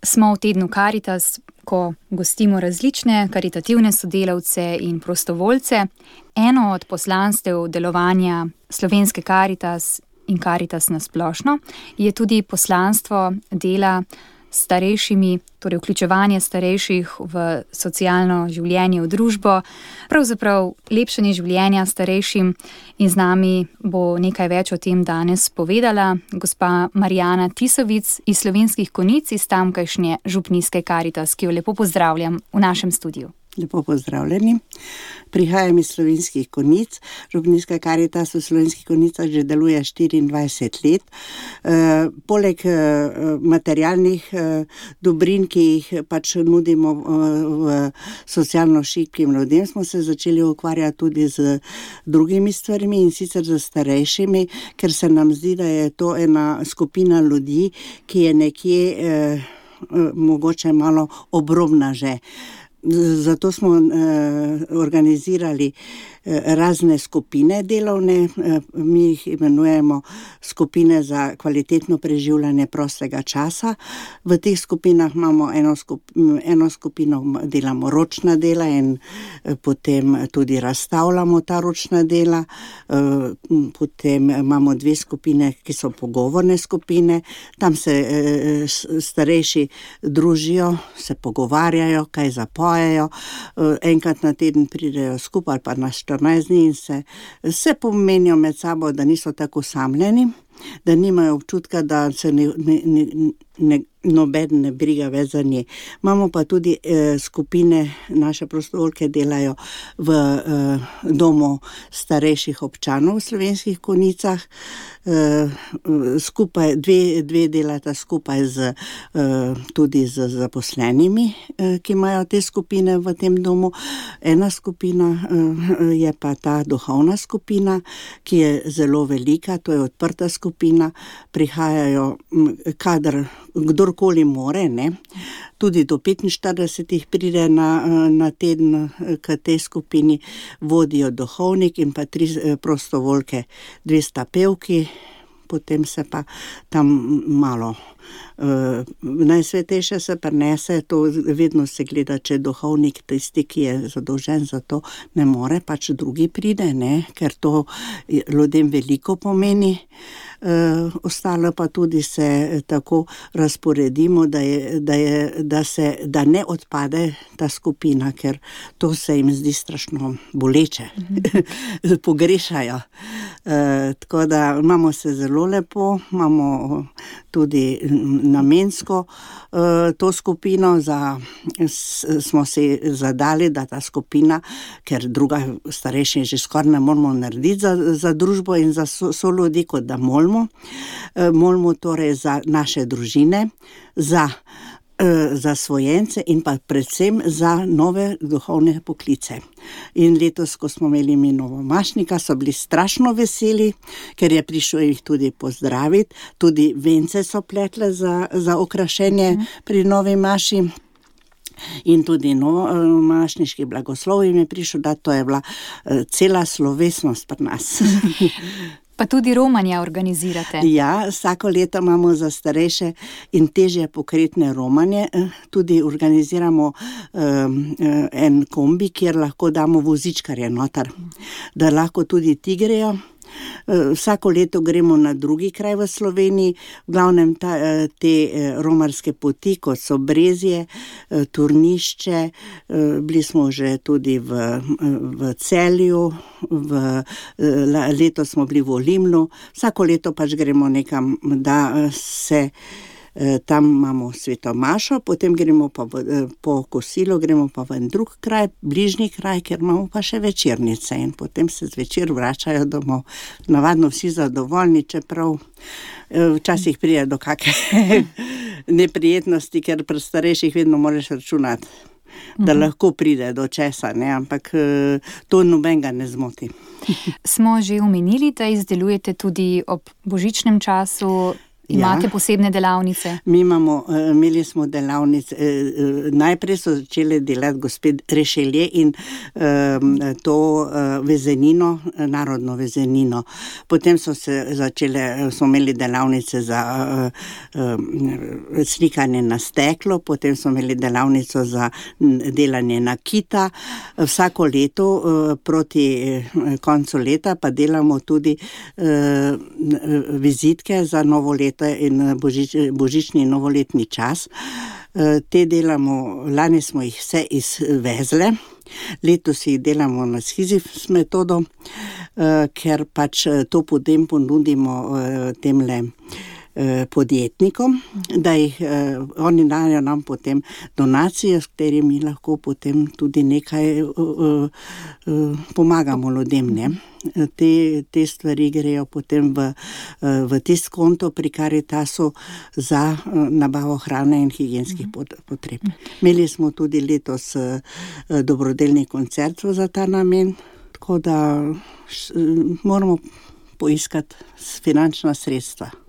Smo v tednu Karitas, ko gostimo različne karitativne sodelavce in prostovoljce. Eno od poslanstev delovanja Slovenske Karitas in Karitas na splošno je tudi poslanstvo dela s starejšimi, torej vključevanje starejših v socialno življenje, v družbo, pravzaprav lepšanje življenja starejšim, in z nami bo nekaj več o tem danes povedala gospa Marijana Tisovic iz Slovenskih Konjic, iz tamkajšnje župnijske Karitas, ki jo lepo pozdravljam v našem studiu. Lepo pozdravljeni. Prihajam iz Slovenskih Konjic. Župnijska Karitas v Slovenskih Konjicah že deluje 24 let. Poleg materialnih dobrin, ki jih pač nudimo v socialno šibkim ljudem, smo se začeli ukvarjati tudi z drugimi stvarmi, in sicer z starejšimi, ker se nam zdi, da je to ena skupina ljudi, ki je nekje mogoče malo obrobna že. Zato smo organizirali razne skupine delovne, mi jih imenujemo skupine za kvalitetno preživljanje prostega časa. V teh skupinah imamo eno skupino, delamo ročna dela in potem tudi razstavljamo ta ročna dela. Potem imamo 2 skupine, ki so pogovorne skupine. Tam se starejši družijo, se pogovarjajo, kaj zapojejo. Enkrat na teden pridejo skupaj ali pa na 14 dni in se pomenijo med sabo, da niso tako osamljeni, da nimajo občutka, da se nobeden ne briga več za nje. Imamo pa tudi skupine, naše prostovoljke delajo v domu starejših občanov v Slovenskih Konjicah. Skupaj, dve delata skupaj tudi z zaposlenimi, ki imajo te skupine v tem domu. Ena skupina je pa ta duhovna skupina, ki je zelo velika, to je odprta skupina. Prihajajo kdorkoli more, ne. Tudi do 45 pride na teden k tej skupini, vodijo duhovnik in pa 3 prostovoljke, 2 sta pevki, potem se pa tam malo najsvetejše se prinese, to vedno se gleda, če duhovnik, tisti, ki je zadolžen za to, ne more, pač drugi pride, ne, ker to ljudem veliko pomeni. Ostalo pa tudi se tako razporedimo, da ne odpade ta skupina, ker to se jim zdi strašno boleče. Pogrešajo. Tako da imamo se zelo lepo, imamo tudi namensko to skupino, smo si zadali, da ta skupina, ker druga starejši že skoraj ne moramo narediti za družbo in za soljudi, kot da molimo. Molimo torej za naše družine, za svojence in pa predvsem za nove duhovne poklice. In letos, ko smo imeli mi novomašnika, so bili strašno veseli, ker je prišel jih tudi pozdraviti. Tudi vence so pletle za okrašenje pri novi maši. In tudi novomašniški blagoslov jim je prišel, da to je bila cela slovesnost pri nas. Pa tudi romanja organizirate. Ja, vsako leto imamo za starejše in težje pokretne romanje. Tudi organiziramo en kombi, kjer lahko damo vozičkarje noter, da lahko tudi ti grejo. Vsako leto gremo na drugi kraj v Sloveniji, v glavnem te romarske poti, kot so Brezje, Turnišče, bili smo že tudi v Celju, letos smo bili v Olimlu. Vsako leto pač gremo nekam, da se tam imamo sveto mašo, potem gremo pa po kosilo, gremo pa v en drug kraj, bližnji kraj, ker imamo pa še večernice in potem se zvečer vračajo domov. Navadno vsi zadovoljni, čeprav včasih pride do kakšne neprijetnosti, ker pri starejših vedno moraš računati, da lahko pride do česa, ne, ampak to nobenega ne zmoti. Smo že omenili, da izdelujete tudi ob božičnem času Imate posebne delavnice? Imeli smo delavnice, najprej so začeli delati gospe Rešelje in to vezenino, narodno vezenino. Potem smo imeli delavnice za slikanje na steklo, potem smo imeli delavnico za delanje nakita. Vsako leto proti koncu leta pa delamo tudi vizitke za novo leto in božični in novoletni čas. Te delamo, lani smo jih vse izvezle, letos jih delamo na Sizifs metodo, ker pač to potem ponudimo temle podjetnikom, da jih oni dajo nam potem donacije, s katerimi lahko potem tudi nekaj pomagamo ljudem, ne. Te stvari grejo potem v tisti konto pri Karitasu za nabavo hrane in higienskih potreb. Imeli smo tudi letos dobrodelni koncert za ta namen, tako da moramo poiskati finančna sredstva.